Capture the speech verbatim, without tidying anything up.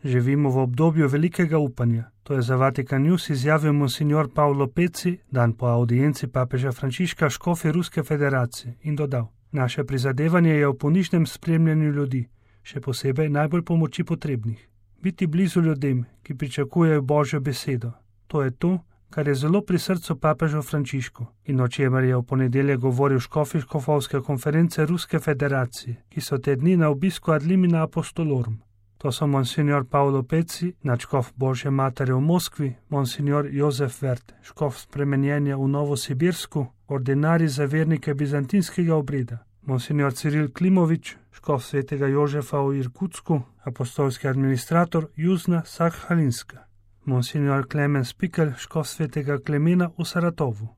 Živimo v obdobju velikega upanja. To je za Vatikan News izjavil monsignor Paolo Pezzi dan po audienci papeža Frančiška škofi Ruske federacije in dodal: Naše prizadevanje je v ponižnem spremljanju ljudi, še posebej najbolj pomoči potrebnih. Biti blizu ljudem, ki pričakujejo Božjo besedo. To je to, kar je zelo pri srcu papežu Frančišku in o čemer je v ponedeljek govoril škofi škofovske konference Ruske federacije, ki so te dni na obisku ad limina apostolorum. To so monsignor Paolo Pezzi, nadškof Božje matere v Moskvi, monsignor Jozef Vert, škof spremenjenja v Novosibirsku, ordinarij za vernike bizantinskega obreda, monsignor Ciril Klimovič, škof svetega Jožefa v Irkutsku, apostolski administrator Juzna Sakhalinska, monsignor Klemen Spikel, škof svetega Klemena v Saratovu.